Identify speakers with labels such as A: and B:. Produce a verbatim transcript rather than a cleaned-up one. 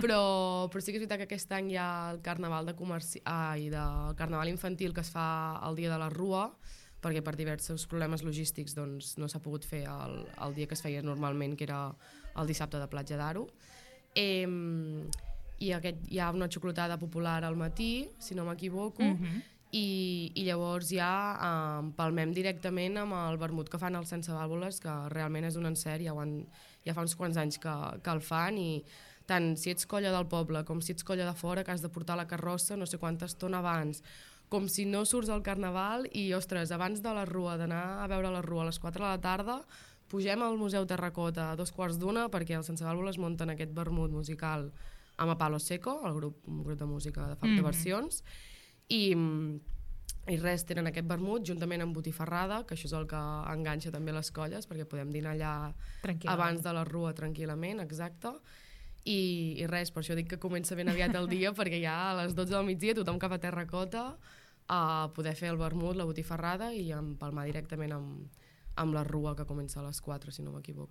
A: però, però sí que és veritat que aquest any hi ha el carnaval de comerci... ai, de carnaval infantil que es fa el dia de la Rua, perquè per diversos problemes logístics doncs, no s'ha pogut fer el, el dia que es feia normalment, que era el dissabte de Platja d'Aro. Eh, i aquest, hi ha una xocolatada popular al matí, si no m'equivoco,
B: Mhm.
A: i, i llavors ja eh, empalmem directament amb el vermut que fan els Sense Vàlvules, que realment és un encert, ja, ho han, ja fa uns quants anys que, que el fan, i tant si ets colla del poble com si ets colla de fora, que has de portar la carrossa no sé quanta estona abans, com si no surts al carnaval, i ostres, abans de la Rua, d'anar a veure la Rua a les quatre de la tarda, pugem al Museu Terracota a dos quarts d'una perquè els Sense Vàlvules munten aquest vermut musical amb a Palo Seco, el grup, un grup de música de Fab de
B: Mhm.
A: Versions, i, i res, tenen aquest vermut juntament amb botifarrada, que això és el que enganxa també les colles, perquè podem dinar allà
B: Tranquil·lament.
A: abans de la Rua tranquil·lament, exacte. I, i res, per això dic que comença ben aviat el dia, perquè ja a les dotze del migdia tothom cap a Terracota a poder fer el vermut, la botifarrada i empalmar directament amb, amb la Rua, que comença a les quatre, si no m'equivoco.